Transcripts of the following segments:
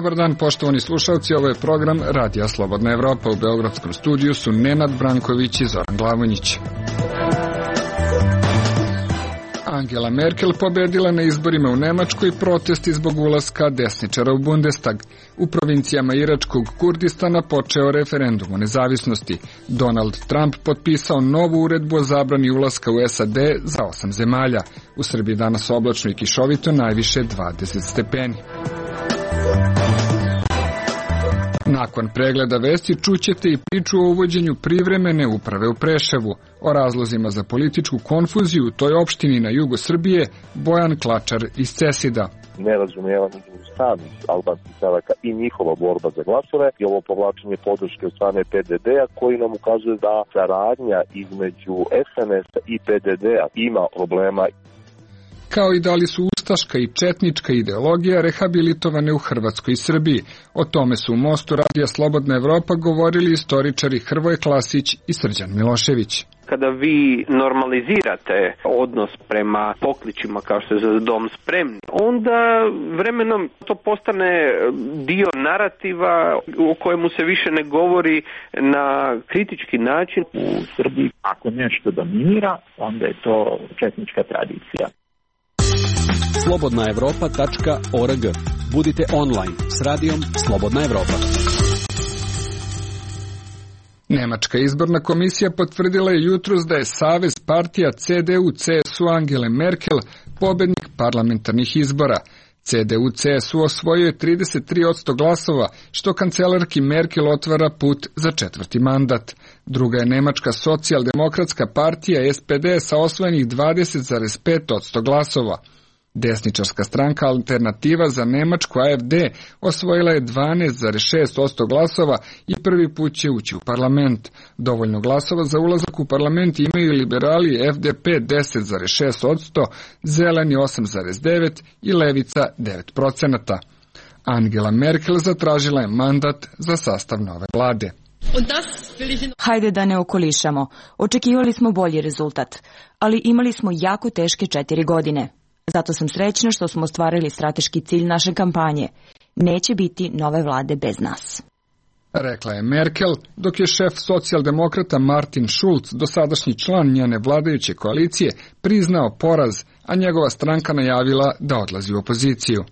Dobar dan, poštovani slušalci, ovo je program Radija Slobodna Evropa. U beogradskom studiju su Nenad Branković i Zoran Glavonjić. Angela Merkel pobedila na izborima u Nemačkoj, protesti zbog ulaska desničara u Bundestag. U provincijama Iračkog Kurdistana počeo referendum o nezavisnosti. Donald Trump potpisao novu uredbu o zabrani ulaska u SAD za 8 zemalja. U Srbiji danas oblačno i kišovito, najviše 20 stepeni. Nakon pregleda vesti čućete i priču o uvođenju privremene uprave u Preševu. O razlozima za političku konfuziju u toj opštini na jugu Srbije Bojan Klačar iz Cesida. Nerazumijevanje samih albanskih stranaka i njihova borba za glasove i ovo povlačenje podrške od strane PDD-a koji nam ukazuje da saradnja između SNS-a i PDD-a ima problema. Kao i da li su ustaška i četnička ideologija rehabilitovane u Hrvatskoj i Srbiji. O tome su u Mostu Radija Slobodna Evropa govorili istoričari Hrvoje Klasić i Srđan Milošević. Kada vi normalizirate odnos prema pokličima kao što je za dom spremni, onda vremenom to postane dio narativa o kojemu se više ne govori na kritički način. U Srbiji ako nešto dominira, onda je to četnička tradicija. slobodnaevropa.org. Budite online s radijom Slobodna Evropa. Nemačka izborna komisija potvrdila je jutros da je savez partija CDU-CSU Angele Merkel pobednik parlamentarnih izbora. CDU-CSU osvojio je 33% glasova, što kancelarki Merkel otvara put za 4. mandat. Druga je nemačka socijaldemokratska partija SPD sa osvojenih 20,5% glasova. Desničarska stranka Alternativa za Nemačku AFD osvojila je 12,6% glasova i prvi put će ući u parlament. Dovoljno glasova za ulazak u parlament imaju liberali FDP 10,6%, zeleni 8,9% i levica 9%. Angela Merkel zatražila je mandat za sastav nove vlade. Hajde da ne okolišamo. Očekivali smo bolji rezultat, ali imali smo jako teške 4 godine. Zato sam srećna što smo ostvarili strateški cilj naše kampanje. Neće biti nove vlade bez nas. Rekla je Merkel, dok je šef socijaldemokrata Martin Schulz, dosadašnji član njene vladajuće koalicije, priznao poraz, a njegova stranka najavila da odlazi u opoziciju.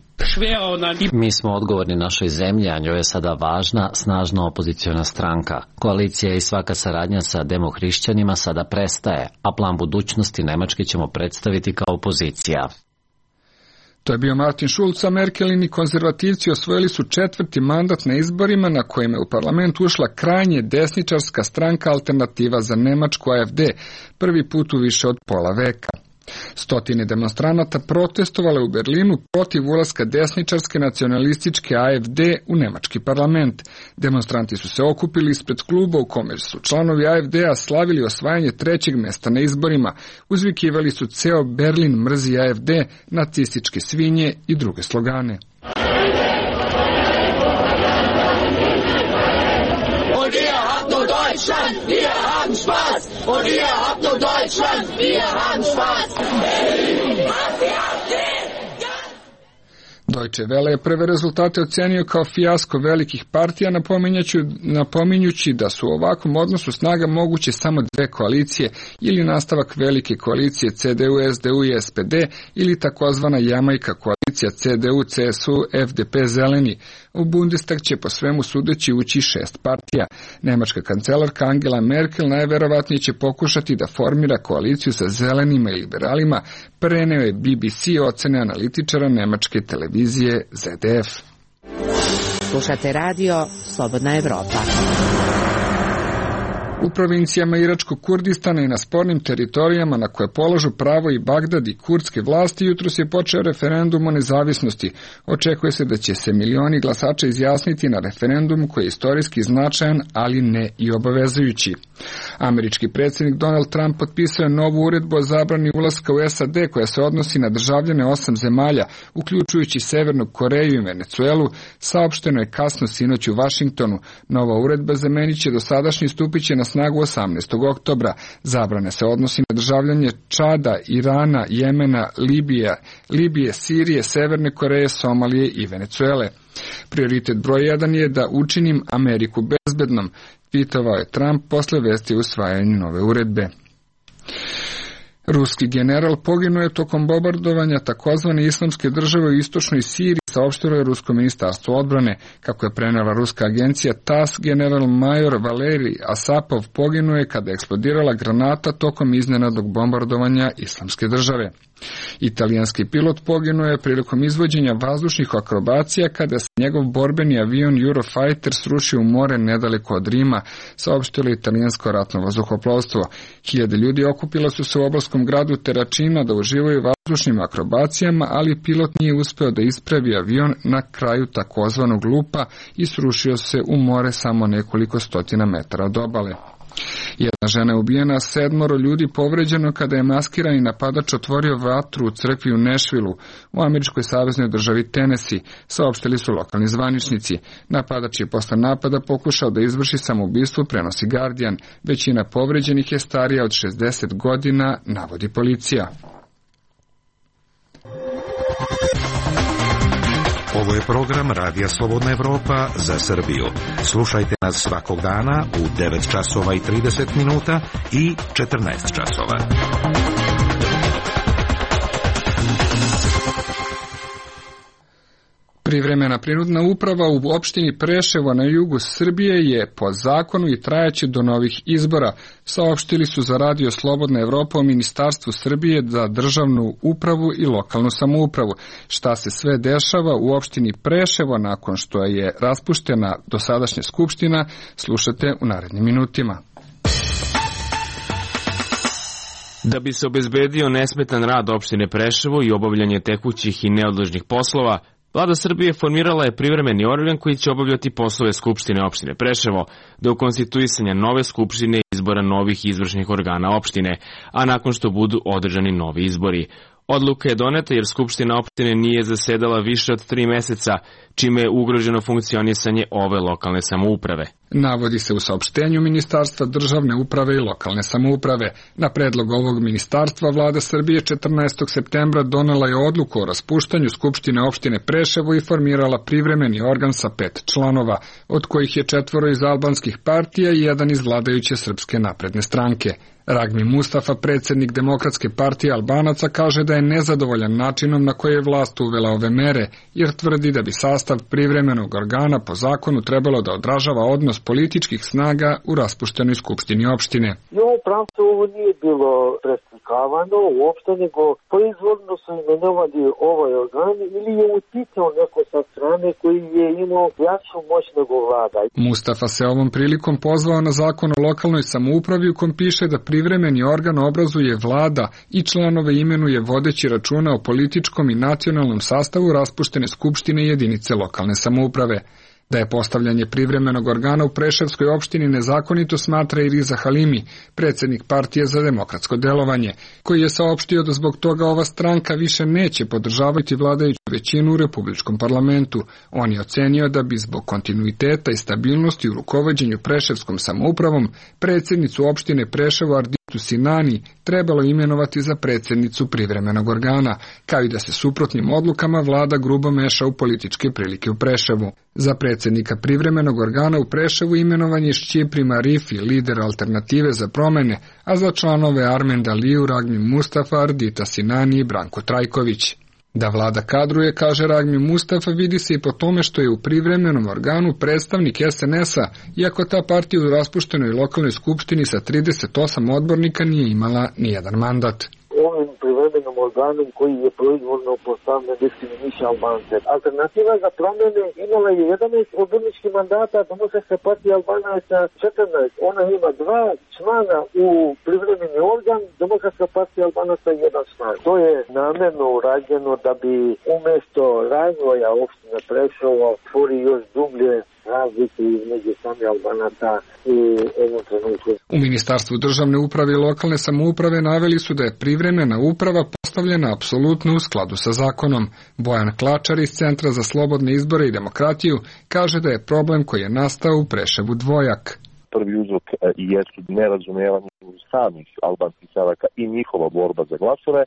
Mi smo odgovorni našoj zemlji, a njoj je sada važna, snažna opoziciona stranka. Koalicija i svaka saradnja sa demohrišćanima sada prestaje, a plan budućnosti Nemačke ćemo predstaviti kao opozicija. To je bio Martin Schulz, a Merkelini konzervativci osvojili su 4. mandat na izborima na kojima je u parlament ušla krajnje desničarska stranka Alternativa za Nemačku AFD, prvi put u više od pola veka. Stotine demonstranata protestovale u Berlinu protiv ulaska desničarske nacionalističke AFD u nemački parlament. Demonstranti su se okupili ispred kluba u kome su članovi AFD-a slavili osvajanje 3. mesta na izborima. Uzvikivali su ceo Berlin mrzi AFD, nacističke svinje i druge slogane. Deutschland, wir haben Spaß! Und ihr habt nur Deutschland, wir haben Spaß! Deutsche Welle je prve rezultate ocenio kao fijasko velikih partija, napominjući da su u ovakvom odnosu snaga moguće samo 2 koalicije ili nastavak velike koalicije CDU, SDU i SPD ili takozvana Jamajka koalicija CDU, CSU, FDP, Zeleni. U Bundestag će po svemu sudeći ući 6 partija. Nemačka kancelarka Angela Merkel najverovatnije će pokušati da formira koaliciju sa zelenima i liberalima, preneo je BBC ocene analitičara nemačke televizije ZDF. Slušate radio Slobodna Evropa. U provincijama Iračkog Kurdistana i na spornim teritorijama na koje polažu pravo i Bagdad i kurdske vlasti jutros je počeo referendum o nezavisnosti. Očekuje se da će se milioni glasača izjasniti na referendum koji je istorijski značajan, ali ne i obavezujući. Američki predsjednik Donald Trump potpisao je novu uredbu o zabrani ulaska u SAD koja se odnosi na državljane 8 zemalja, uključujući Severnu Koreju i Venecuelu, saopšteno je kasno sinoć u Vašingtonu. Nova uredba zamenit će dosadašnji, stupiće na snagu 18. oktobra. Zabrane se odnosi na državljanje Čada, Irana, Jemena, Libije, Sirije, Severne Koreje, Somalije i Venecuele. Prioritet broj 1 je da učinim Ameriku bezbednom, tvitovao je Trump posle vesti o usvajanju nove uredbe. Ruski general poginuo je tokom bombardovanja takozvane islamske države u istočnoj Siriji, saopštilo je Rusko ministarstvo odbrane. Kako je prenela ruska agencija TASS, general major Valerij Asapov poginuo je kada je eksplodirala granata tokom iznenadnog bombardovanja islamske države. Italijanski pilot poginuo je prilikom izvođenja vazdušnih akrobacija kada se njegov borbeni avion Eurofighter srušio u more nedaleko od Rima, saopštilo italijansko ratno vazduhoplovstvo. Hiljade ljudi okupilo su se u obalskom gradu Terracina da uživaju vazdušnim akrobacijama, ali pilot nije uspeo da ispravi avion na kraju takozvanog lupa i srušio se u more samo nekoliko stotina metara od obale. Jedna žena je ubijena, 7 ljudi povređeno kada je maskirani napadač otvorio vatru u crkvi u Nashvilleu u američkoj saveznoj državi Tennessee, saopštili su lokalni zvaničnici. Napadač je posle napada pokušao da izvrši samoubistvo, prenosi Guardian. Većina povređenih je starija od 60 godina, navodi policija. Ovo je program Radija Slobodna Evropa za Srbiju. Slušajte nas svakog dana u 9 časova i 30 minuta i 14 časova. Privremena prinudna uprava u opštini Preševo na jugu Srbije je po zakonu i trajaće do novih izbora, saopštili su za Radio Slobodna Evropa o Ministarstvu Srbije za državnu upravu i lokalnu samoupravu. Šta se sve dešava u opštini Preševo nakon što je raspuštena dosadašnja skupština, slušate u narednim minutima. Da bi se obezbedio nesmetan rad opštine Preševo i obavljanje tekućih i neodložnih poslova, Vlada Srbije formirala je privremeni organ koji će obavljati poslove Skupštine opštine Preševo do konstituisanja nove skupštine i izbora novih izvršnih organa opštine, a nakon što budu održani novi izbori. Odluka je doneta jer Skupština opštine nije zasedala više od 3 meseca, čime je ugroženo funkcionisanje ove lokalne samouprave. Navodi se u saopštenju Ministarstva državne uprave i lokalne samouprave. Na predlog ovog ministarstva Vlada Srbije 14. septembra donela je odluku o raspuštanju Skupštine opštine Preševo i formirala privremeni organ sa 5 članova, od kojih je 4 iz albanskih partija i 1 iz vladajuće Srpske napredne stranke. Ragmi Mustafa, predsjednik Demokratske partije Albanaca, kaže da je nezadovoljan načinom na koji je vlast uvela ove mere, jer tvrdi da bi sastav privremenog organa po zakonu trebalo da odražava odnos političkih snaga u raspuštenoj skupštini opštine. I ovo pravcu ovo nije bilo preslikavano uopšte, nego proizvodno su imenovali ovaj organ ili je uticao neko sa strane koji je imao jaču moć nego vlada. Mustafa se ovom prilikom pozvao na zakon o lokalnoj samoupravi u kom piše da privremeni organ obrazuje vlada i članove imenuje vodeći računa o političkom i nacionalnom sastavu raspuštene skupštine i jedinice lokalne samouprave. Da je postavljanje privremenog organa u Preševskoj opštini nezakonito smatra i Riza Halimi, predsjednik partije za demokratsko delovanje, koji je saopštio da zbog toga ova stranka više neće podržavati vladajuću većinu u Republičkom parlamentu. On je ocenio da bi zbog kontinuiteta i stabilnosti u rukovođenju Preševskom samoupravom predsjednicu opštine Preševo Arditu Sinani trebalo imenovati za predsjednicu privremenog organa, kao i da se suprotnim odlukama vlada grubo meša u političke prilike u Preševu. Za predsjednika privremenog organa u Preševu imenovan je Šćipri Marifi, lider Alternative za promene, a za članove Armen Daliju, Ragmi Mustafa, Ardita Sinani i Branko Trajković. Da vlada kadruje, kaže Ragmi Mustafa, vidi se i po tome što je u privremenom organu predstavnik SNS-a, iako ta partija u raspuštenoj lokalnoj skupštini sa 38 odbornika nije imala nijedan mandat. Ovim privremenom organom koji je proizvodno postavljen diskriminiše Albance. Alternativa za promjene imala je 11 odborničkih mandata, Demokratska partija Albanaca 14. Ona ima 2 člana u privremeni organ, Demokratska partija Albanaca 1 član. To je namjerno urađeno da bi umjesto razvoja opštine Preševo stvori još dublje razlike između sami Albanaca i ovom trenutku. U Ministarstvu državne uprave i lokalne samouprave naveli su da je privremena uprava postavljena apsolutno u skladu sa zakonom. Bojan Klačar iz Centra za slobodne izbore i demokratiju kaže da je problem koji je nastao u Preševu dvojak. prvi uzrok jesu nerazumevanje samih albanskih Sevaka i njihova borba za glasove.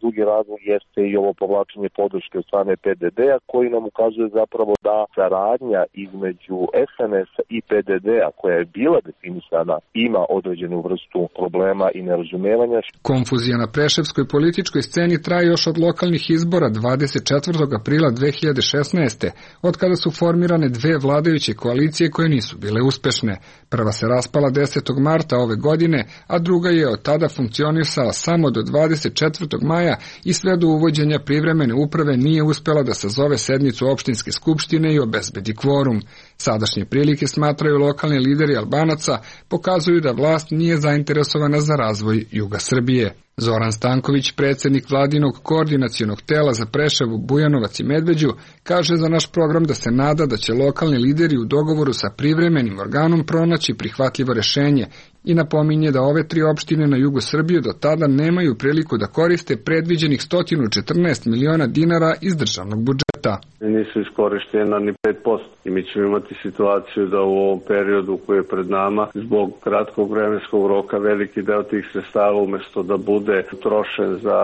Drugi razlog jeste i ovo povlačenje podrške od strane PDD-a koji nam ukazuje zapravo da saradnja između SNS-a i PDD-a koja je bila definisana ima određenu vrstu problema i nerazumevanja. Konfuzija na preševskoj političkoj sceni traje još od lokalnih izbora 24. aprila 2016. od kada su formirane dve vladajuće koalicije koje nisu bile uspešne. Prva se raspala 10. marta ove godine, a druga je od tada funkcionisala samo do 24. maja i sve do uvođenja privremene uprave nije uspela da sazove sednicu opštinske skupštine i obezbedi kvorum. Sadašnje prilike, smatraju lokalni lideri Albanaca, pokazuju da vlast nije zainteresovana za razvoj juga Srbije. Zoran Stanković, predsjednik vladinog koordinacionog tela za Preševo, Bujanovac i Medveđu, kaže za naš program da se nada da će lokalni lideri u dogovoru sa privremenim organom pronaći prihvatljivo rešenje i napominje da ove tri opštine na jugu Srbije do tada nemaju priliku da koriste predviđenih 114 miliona dinara iz državnog budžeta. Nisu iskorištena ni 5% i mi ćemo imati situaciju da u ovom periodu koji je pred nama zbog kratkog vremenskog roka veliki deo tih sredstava umjesto da bude utrošen za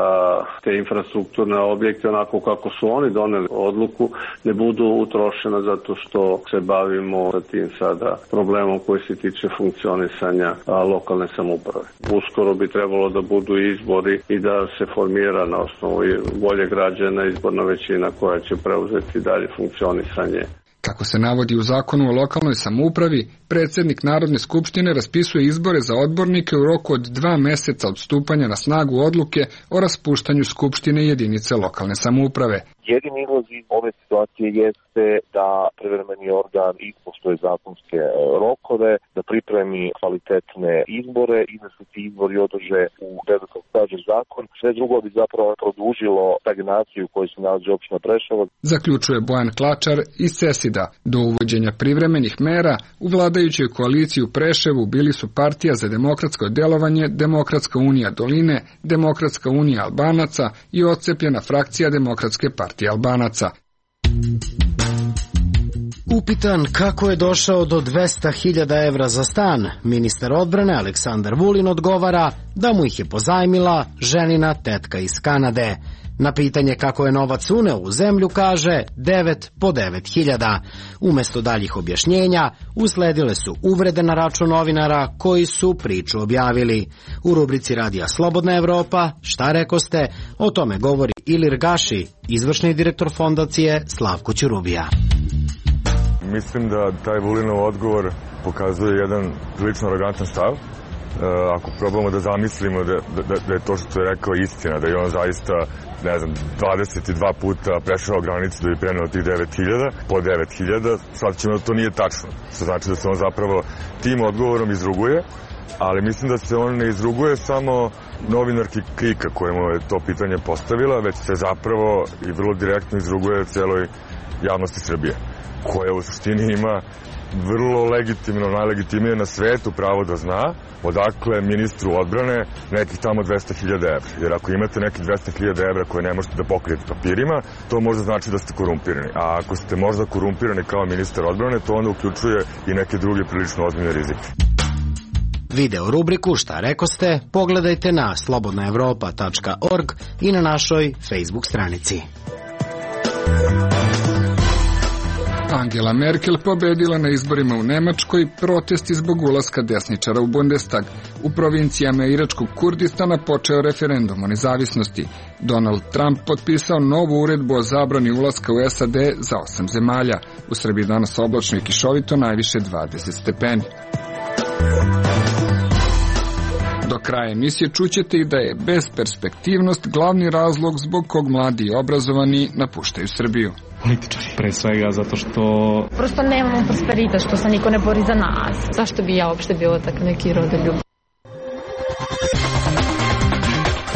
te infrastrukturne objekte onako kako su oni doneli odluku, ne budu utrošena zato što se bavimo sa tim sada problemom koji se tiče funkcionisanja lokalne samouprave. Uskoro bi trebalo da budu izbori i da se formira na osnovu volje građana izborna većina koja će preuzeti dalje funkcionisanje. Kako se navodi u zakonu o lokalnoj samoupravi, predsjednik Narodne skupštine raspisuje izbore za odbornike u roku od 2 meseca od stupanja na snagu odluke o raspuštanju skupštine jedinice lokalne samouprave. Jedini izlaz iz ove situacije jeste da privremeni organ ispoštuje zakonske rokove, da pripremi kvalitetne izbore i da se ti izbori održe u redu kako kaže zakon. Sve drugo bi zapravo produžilo stagnaciju koju se nalazi opština Preševo. Zaključuje Bojan Klačar iz Sesida. Do uvođenja privremenih mera u vladajućoj koaliciji u Preševu bili su Partija za demokratsko delovanje, Demokratska unija Doline, Demokratska unija Albanaca i odcepljena frakcija Demokratske partije Albanaca. Upitan kako je došao do 200.000 evra za stan, ministar odbrane Aleksandar Vulin odgovara da mu ih je pozajmila ženina tetka iz Kanade. Na pitanje kako je novac uneo u zemlju kaže 9 po 9.000. Umesto daljih objašnjenja usledile su uvrede na račun novinara koji su priču objavili. U rubrici Radija Slobodna Evropa Šta rekoste, o tome govori Ilir Gaši, izvršni direktor fondacije Slavko Ćurubija. Mislim da taj Vulinov odgovor pokazuje jedan prilično arogantan stav. Ako probamo da zamislimo da je to što je rekao istina, da je on zaista, 22 puta prešao granicu da bi preneo tih 9.000, po 9.000, sad ćemo da to nije tačno. Što znači da se on zapravo tim odgovorom izruguje, ali mislim da se on ne izruguje samo novinarki KRIK-a kojemu je to pitanje postavila, već se zapravo i vrlo direktno izruguje cijeloj javnosti Srbije, koja u suštini ima vrlo legitimno, najlegitimnije na svetu pravo da zna odakle ministru odbrane nekih tamo 200.000 evra. Jer ako imate nekih 200.000 evra koje ne možete da pokrijete papirima, to možda znači da ste korumpirani. A ako ste možda korumpirani kao ministar odbrane, to onda uključuje i neke druge prilično ozbiljne rizike. Video rubriku Šta rekoste pogledajte na slobodnaevropa.org i na našoj Facebook stranici. Angela Merkel pobedila na izborima u Nemačkoj, protesti zbog ulaska desničara u Bundestag. U provincijama Iračkog Kurdistana počeo referendum o nezavisnosti. Donald Trump potpisao novu uredbu o zabrani ulaska u SAD za 8 zemalja. U Srbiji danas oblačno i kišovito, najviše 20 stepeni. Do kraja emisije čućete i da je besperspektivnost glavni razlog zbog kog mladi i obrazovani napuštaju Srbiju. Političari, pre svega zato što... Prosto nemamo prosperitet, što se niko ne bori za nas. Zašto bi ja uopšte bilo tak neki rodoljub?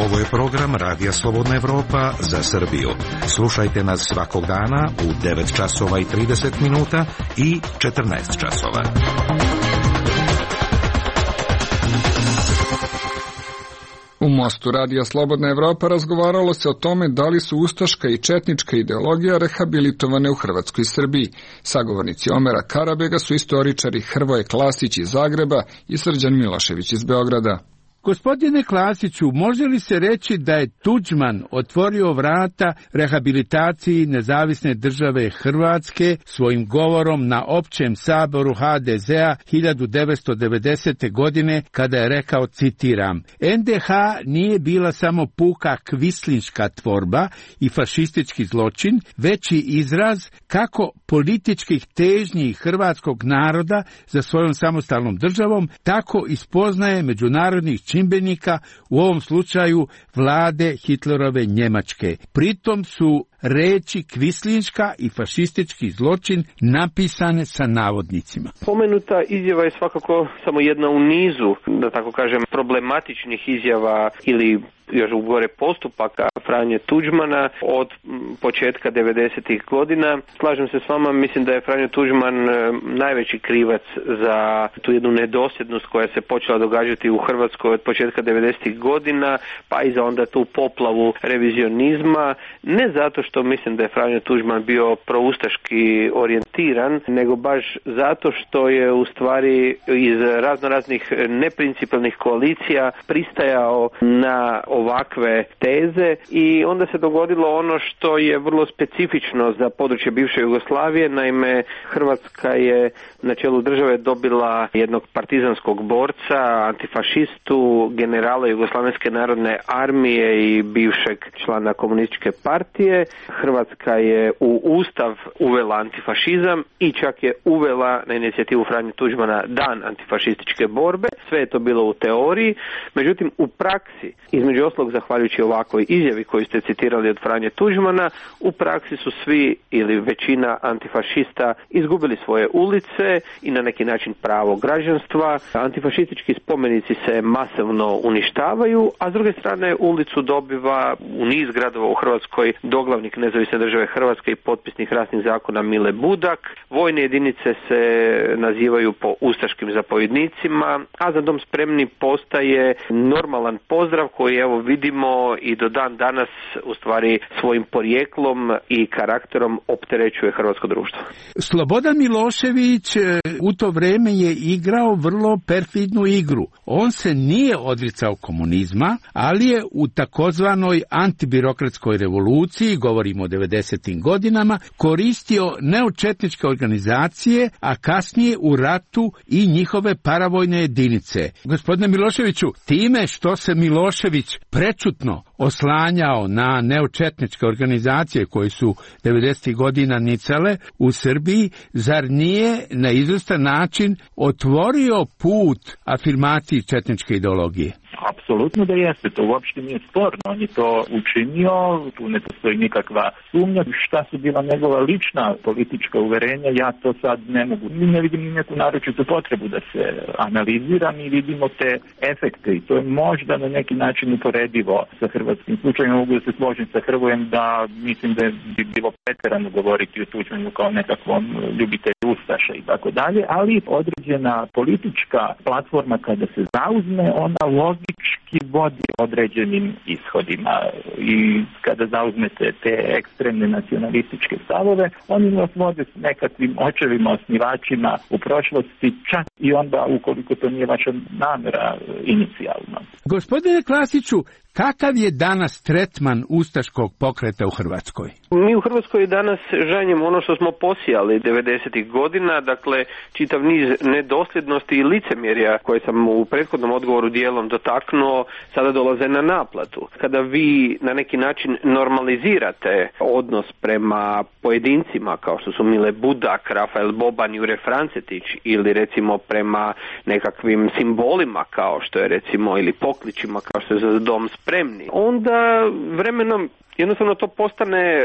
Ovo je program Radija Slobodna Evropa za Srbiju. Slušajte nas svakog dana u 9 časova i 30 minuta i 14 časova. U U Mostu radija Slobodna Evropa razgovaralo se o tome da li su ustaška i četnička ideologija rehabilitovane u Hrvatskoj i Srbiji. Sagovornici Omera Karabega su istoričari Hrvoje Klasić iz Zagreba i Srđan Milošević iz Beograda. Gospodine Klasiću, može li se reći da je Tuđman otvorio vrata rehabilitaciji nezavisne države Hrvatske svojim govorom na općem saboru HDZ-a 1990. godine kada je rekao, citiram, NDH nije bila samo puka kvislinška tvorba i fašistički zločin, već i izraz kako političkih težnji hrvatskog naroda za svojom samostalnom državom, tako i spoznaje međunarodnih čimbenika, u ovom slučaju vlade Hitlerove Njemačke. Pritom su reči kvislinška i fašistički zločin napisane sa navodnicima. Pomenuta izjava je svakako samo jedna u nizu, da tako kažem, problematičnih izjava ili još gore postupaka Franje Tuđmana od početka 90-ih godina. Slažem se s vama, mislim da je Franjo Tuđman najveći krivac za tu jednu nedosljednost koja se počela događati u Hrvatskoj od početka 90-ih godina, pa i za onda tu poplavu revizionizma, ne zato što mislim da je Franjo Tuđman bio proustaški orijentiran, nego baš zato što je u stvari iz raznoraznih neprincipijelnih koalicija pristajao na ovakve teze i onda se dogodilo ono što je vrlo specifično za područje bivše Jugoslavije. Naime, Hrvatska je na čelu države dobila jednog partizanskog borca, antifašistu, generala Jugoslavenske narodne armije i bivšeg člana komunističke partije. Hrvatska je u Ustav uvela antifašizam i čak je uvela na inicijativu Franje Tuđmana dan antifašističke borbe. Sve je to bilo u teoriji, međutim u praksi, između ostalog zahvaljujući ovakvoj izjavi koju ste citirali od Franje Tuđmana, u praksi su svi ili većina antifašista izgubili svoje ulice i na neki način pravo građanstva. Antifašistički spomenici se masovno uništavaju, a s druge strane ulicu dobiva u niz gradova u Hrvatskoj doglavnik Nezavisne države Hrvatske i potpisnik rasnih zakona Mile Budak. Vojne jedinice se nazivaju po ustaškim zapovjednicima, a Za dom spremni postaje normalan pozdrav koji evo vidimo i do dan danas u stvari svojim porijeklom i karakterom opterećuje hrvatsko društvo. Slobodan Milošević u to vrijeme je igrao vrlo perfidnu igru. On se nije odricao komunizma, ali je u takozvanoj antibirokratskoj revoluciji, govorimo o 90. godinama, koristio neočetničke organizacije, a kasnije u ratu i njihove paravojne jedinice. Gospodine Miloševiću, time što se Milošević prečutno oslanjao na neočetničke organizacije koje su 90. godina nicale u Srbiji, zar nije na izvestan način otvorio put afirmaciji četničke ideologije? Apsolutno da jeste, to uopšte nije sporno, on je to učinio, tu ne postoji nikakva sumnja. Šta su bila njegova lična politička uverenja, ja to sad ne mogu, ne vidim neku naročitu potrebu da se analizira, mi vidimo te efekte i to je možda na neki način uporedivo sa hrvatskim slučajem. Mogu da se složim sa Hrvojem da mislim da bi bilo preterano govoriti o Tuđmanu kao nekakvom ljubitelju ustaša i tako dalje, ali određena politička platforma kada se zauzme, ona logički vodi određenim ishodima i kada zauzmete te ekstremne nacionalističke stavove, oni vas vode s nekakvim očevima, osnivačima u prošlosti, čak i onda ukoliko to nije vaša namjera inicijalno. Gospodine Klasiću, kakav je danas tretman ustaškog pokreta u Hrvatskoj? Mi u Hrvatskoj danas žanjemo ono što smo posijali 90. godina, dakle čitav niz nedosljednosti i licemjerja koje sam u prethodnom odgovoru dijelom dotaknuo, sada dolaze na naplatu. Kada vi na neki način normalizirate odnos prema pojedincima kao što su Mile Budak, Rafael Boban, Jure Francetić ili recimo prema nekakvim simbolima kao što je recimo ili pokličima kao što je Za dom spremni, onda vremenom jednostavno to postane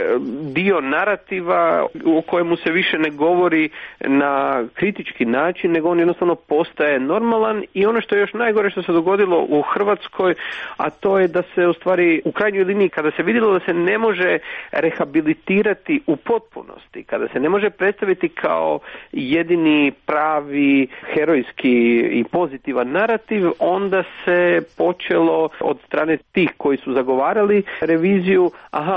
dio narativa o kojemu se više ne govori na kritički način, nego on jednostavno postaje normalan. I ono što je još najgore što se dogodilo u Hrvatskoj, a to je da se u stvari u krajnjoj liniji, kada se vidjelo da se ne može rehabilitirati u potpunosti, kada se ne može predstaviti kao jedini pravi herojski i pozitivan narativ, onda se počelo od strane tih koji su zagovarali reviziju,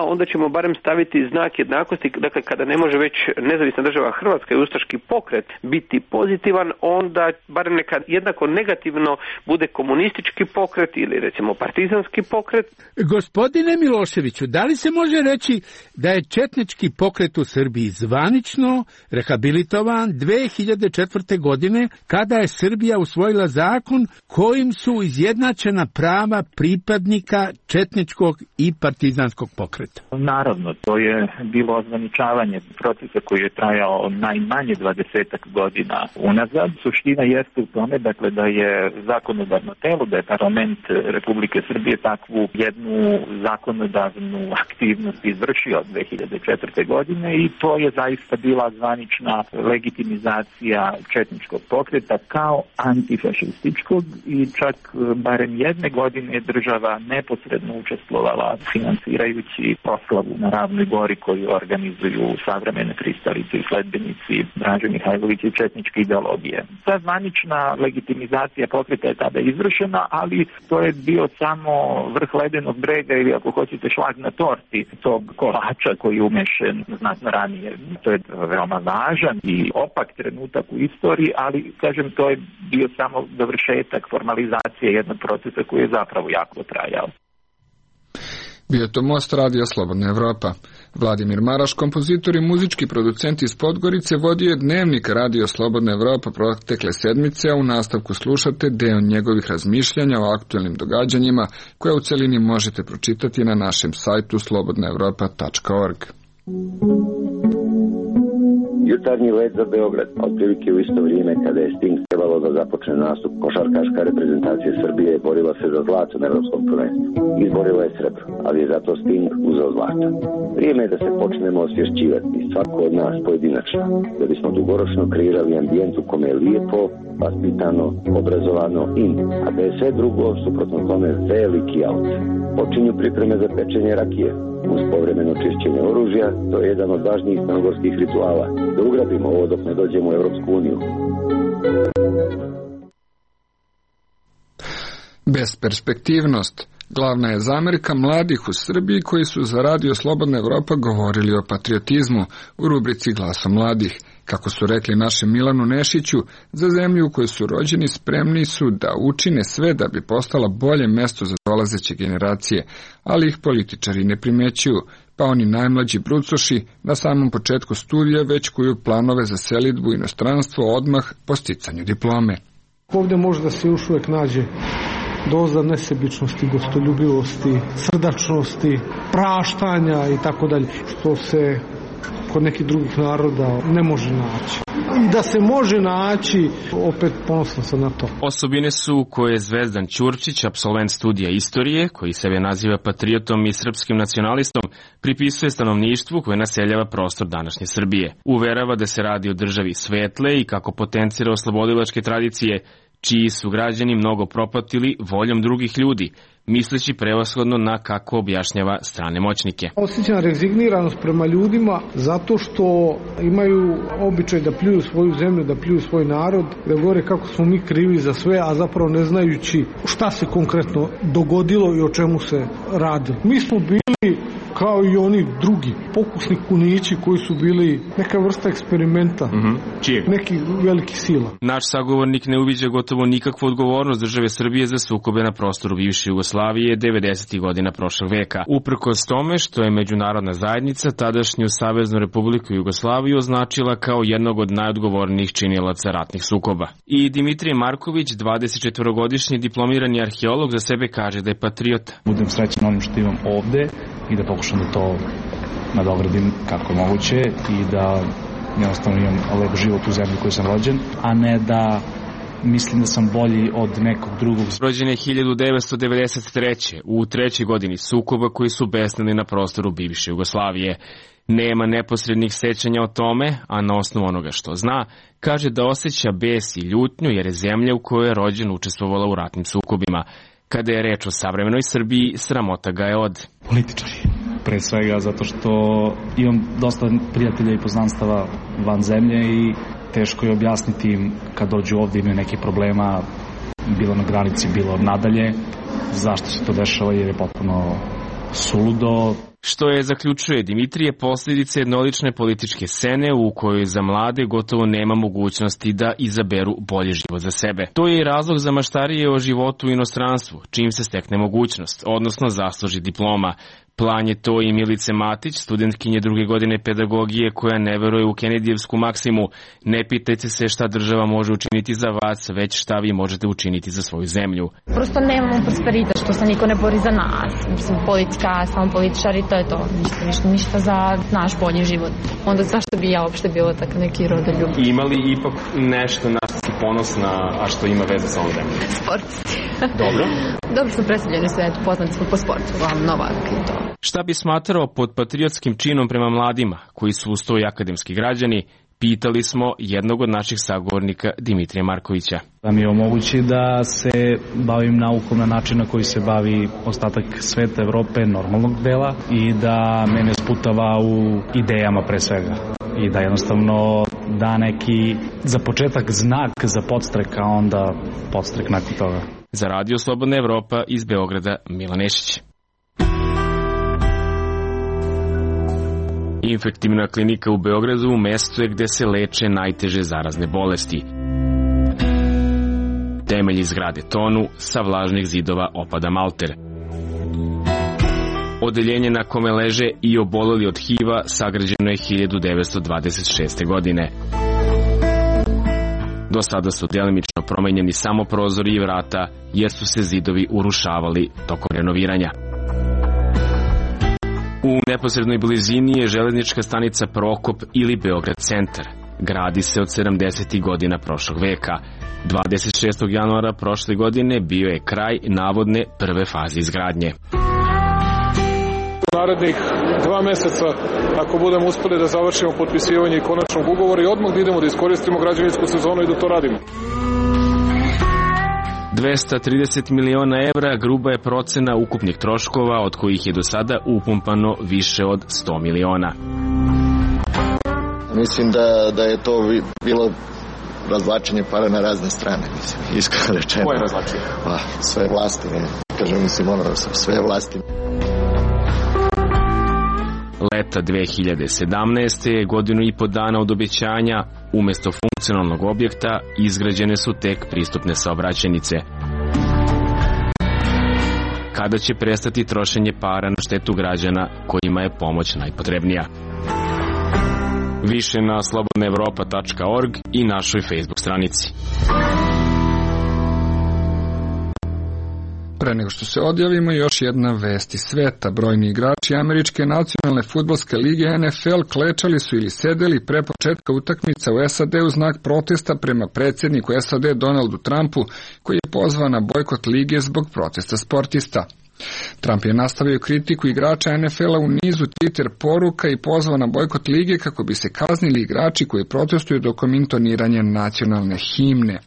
onda ćemo barem staviti znak jednakosti, dakle kada ne može već nezavisna država Hrvatska i ustaški pokret biti pozitivan, onda barem neka jednako negativno bude komunistički pokret ili recimo partizanski pokret. Gospodine Miloševiću, da li se može reći da je četnički pokret u Srbiji zvanično rehabilitovan 2004. godine kada je Srbija usvojila zakon kojim su izjednačena prava pripadnika četničkog i partizanskog pokreta? Naravno, to je bilo ozvaničavanje procesa koji je trajao najmanje 20 godina unazad. Suština jeste u tome, dakle, da je zakonodavno telo, da je parlament Republike Srbije takvu jednu zakonodavnu aktivnost izvršio od 2004. godine i to je zaista bila zvanična legitimizacija četničkog pokreta kao antifašističkog i čak barem jedne godine država neposredno učestvovala finansirajući proslavu na Ravnoj Gori koju organizuju savremene pristalice i sledbenici Draže Mihajlovića i četničke ideologije. Ta zvanična legitimizacija pokreta je tada izvršena, ali to je bio samo vrh ledenog brega ili ako hoćete šlag na torti tog kolača koji je umešen znatno ranije. To je veoma važan i opak trenutak u istoriji, ali kažem to je bio samo dovršetak formalizacije jednog procesa koji je zapravo jako trajao. Bio to Most Radio Slobodna Evropa. Vladimir Maraš, kompozitor i muzički producent iz Podgorice, vodio je dnevnik Radio Slobodna Evropa protekle sedmice, a u nastavku slušate deo njegovih razmišljanja o aktuelnim događanjima koje u celini možete pročitati na našem sajtu slobodnaevropa.org. Jutarnji let za Beograd, otprilike u isto vrijeme kada je Sting trebalo da započne nastup, košarkaška reprezentacija Srbije borila se za zlato na evropskom prvenstvu. Izborila je srebro, ali je zato Sting uzeo zlato. Vrijeme je da se počnemo osvješćivati, svako od nas pojedinačno, da bismo dugoročno kreirali ambijent u kome je lijepo, vaspitano, obrazovano in, a da je sve drugo suprotno tome veliki aut. Počinju pripreme za pečenje rakije. Uz povremeno čišćenje oružja, to je jedan od važnijih crnogorskih rituala. Da ugrabimo ovo dok ne dođemo u Evropsku uniju. Besperspektivnost. Glavna je zamerka mladih u Srbiji koji su za Radio Slobodna Evropa govorili o patriotizmu u rubrici Glasom mladih. Kako su rekli našem Milanu Nešiću, za zemlju u kojoj su rođeni spremni su da učine sve da bi postala bolje mesto za dolazeće generacije, ali ih političari ne primećuju, pa oni najmlađi brucoši na samom početku studija već kuju planove za selidbu u inostranstvo odmah po sticanju diplome. Ovdje može da se još uvijek nađe doza nesebičnosti, gostoljubivosti, srdačnosti, praštanja i tako dalje, što se kod nekih drugih naroda ne može naći. I da se može naći, opet ponosno sam na to. Osobine su koje je Zvezdan Ćurčić, apsolvent studija istorije, koji sebe naziva patriotom i srpskim nacionalistom, pripisuje stanovništvu koje naseljava prostor današnje Srbije. Uverava da se radi o državi svetle i kako potencira oslobodilačke tradicije, čiji su građani mnogo propatili voljom drugih ljudi, misleći prevashodno na, kako objašnjava, strane moćnike. Osjećam rezigniranost prema ljudima zato što imaju običaj da pljuju svoju zemlju, da pljuju svoj narod, da govore kako smo mi krivi za sve, a zapravo ne znajući šta se konkretno dogodilo i o čemu se radilo. Mi smo bili kao i oni drugi, pokusni kunići koji su bili neka vrsta eksperimenta, nekih velikih sila. Naš sagovornik ne uviđa gotovo nikakvu odgovornost države Srbije za sukobe na prostoru bivše Jugoslavije 90. godina prošlog veka. Uprkos tome što je međunarodna zajednica tadašnju Saveznu Republiku Jugoslaviju označila kao jednog od najodgovornijih činilaca ratnih sukoba. I Dimitrije Marković, 24-godišnji diplomirani arheolog, za sebe kaže da je patriota. Budem srećan onim što imam ovde i da pokušam da to nadogradim kako je moguće i da jednostavno imam lep život u zemlji koju sam rođen, a ne da mislim da sam bolji od nekog drugog. Rođen je 1993. u trećoj godini sukoba koji su besnili na prostoru bivše Jugoslavije. Nema neposrednih sećanja o tome, a na osnovu onoga što zna, kaže da osjeća bes i ljutnju jer je zemlja u kojoj je rođen učestvovala u ratnim sukobima. Kada je reč o savremenoj Srbiji, sramota ga je od političari. Pre svega zato što imam dosta prijatelja i poznanstava van zemlje i teško je objasniti im kad dođu ovdje imaju neke problema, bilo na granici, bilo nadalje, zašto se to dešava jer je potpuno suludo. Što je, zaključuje Dimitrije, posljedice jednolične političke scene u kojoj za mlade gotovo nema mogućnosti da izaberu bolji život za sebe. To je i razlog za maštarije o životu u inostranstvu, čim se stekne mogućnost, odnosno zasluži diploma. Plan je to i Milice Matić, studentkinje druge godine pedagogije koja ne veruje u Kenedijevsku maksimu. Ne pitajte se šta država može učiniti za vas, već šta vi možete učiniti za svoju zemlju. Prosto nemamo prosperitet, što se niko ne bori za nas. Mislim, politika, samo političari, to je to. Ništa za naš bolji život. Onda zašto bi ja uopšte bilo tako neki rodoljub? Ima li ipak nešto na što si ponosna, a što ima veze sa ovom zemljom? Sportisti. Dobro. Dobro smo predstavljeni u svetu, poznati smo po sportu, Novak i to. Šta bi smatrao pod patriotskim činom prema mladima, koji su uz to i akademski građani, pitali smo jednog od naših sagovornika Dimitrija Markovića. Da mi omogući da se bavim naukom na način na koji se bavi ostatak sveta, Evrope, normalnog dela i da mene sputava u idejama pre svega. I da jednostavno da neki, za početak znak za podstrek, a onda podstrek nakon toga. Za Radio Slobodna Evropa iz Beograda, Milan Nešić. Infektivna klinika u Beogradu mesto je gde se leče najteže zarazne bolesti. Temelji zgrade tonu, sa vlažnih zidova opada malter. Odeljenje na kome leže i oboleli od HIV-a sagrađeno je 1926. godine. Do sada su delimično promenjeni samo prozori i vrata, jer su se zidovi urušavali tokom renoviranja. U neposrednoj blizini je železnička stanica Prokop ili Beograd centar. Gradi se od 70. godina prošlog veka. 26. januara prošle godine bio je kraj navodne prve faze izgradnje. U narednih 2 meseca, ako budemo uspeli da završimo potpisivanje i konačnog ugovora i odmah da idemo da iskoristimo građevinsku sezonu i da to radimo. 230 miliona evra gruba je procena ukupnih troškova, od kojih je do sada upumpano više od 100 miliona. Mislim da je to bilo razvlačenje para na razne strane, mislim, iskreno rečeno. Koje razvlačenje? Sve vlasti, ne kažem, mislim, sve vlasti. Leta 2017. godinu i po dana od obećanja, umesto funkcionalnog objekta, izgrađene su tek pristupne saobraćajnice. Kada će prestati trošenje para na štetu građana kojima je pomoć najpotrebnija? Više na slobodnaevropa.org i našoj Facebook stranici. Pre nego što se odjavimo, još jedna vest iz sveta. Brojni igrači Američke nacionalne fudbalske lige NFL klečali su ili sedeli pre početka utakmica u SAD u znak protesta prema predsjedniku SAD Donaldu Trumpu, koji je pozvao na bojkot lige zbog protesta sportista. Trump je nastavio kritiku igrača NFL-a u nizu Twitter poruka i pozvao na bojkot lige kako bi se kaznili igrači koji protestuju tokom intoniranja nacionalne himne.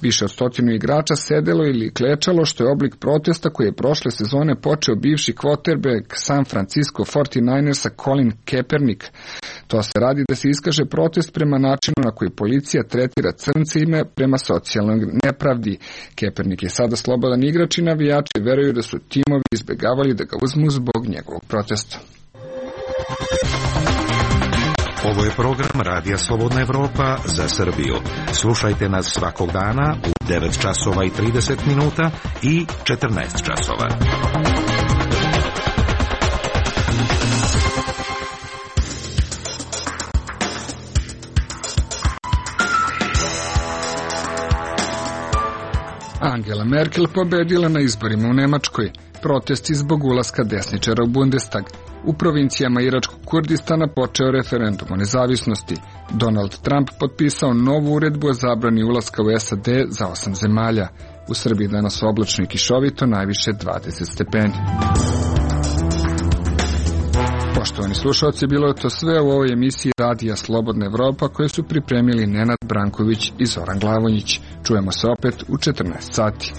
Više od 100 igrača sedelo ili klečalo, što je oblik protesta koji je prošle sezone počeo bivši quarterback San Francisco 49ersa Colin Kaepernick. To se radi da se iskaže protest prema načinu na koji policija tretira crnce ime prema socijalnoj nepravdi. Kaepernick je sada slobodan igrač i navijači veruju da su timovi izbjegavali da ga uzmu zbog njegovog protesta. Ovo je program Radija Slobodna Evropa za Srbiju. Slušajte nas svakog dana u 9 časova i 30 minuta i 14 časova. Angela Merkel pobedila na izborima u Nemačkoj. Protesti zbog ulaska desničara u Bundestag. U provincijama iračkog Kurdistana počeo referendum o nezavisnosti. Donald Trump potpisao novu uredbu o zabrani ulaska u SAD za 8 zemalja. U Srbiji danas oblačno i kišovito, najviše 20 stepeni. Poštovani slušalci, bilo je to sve u ovoj emisiji Radija Slobodna Evropa koje su pripremili Nenad Branković i Zoran Glavonjić. Čujemo se opet u 14 sati.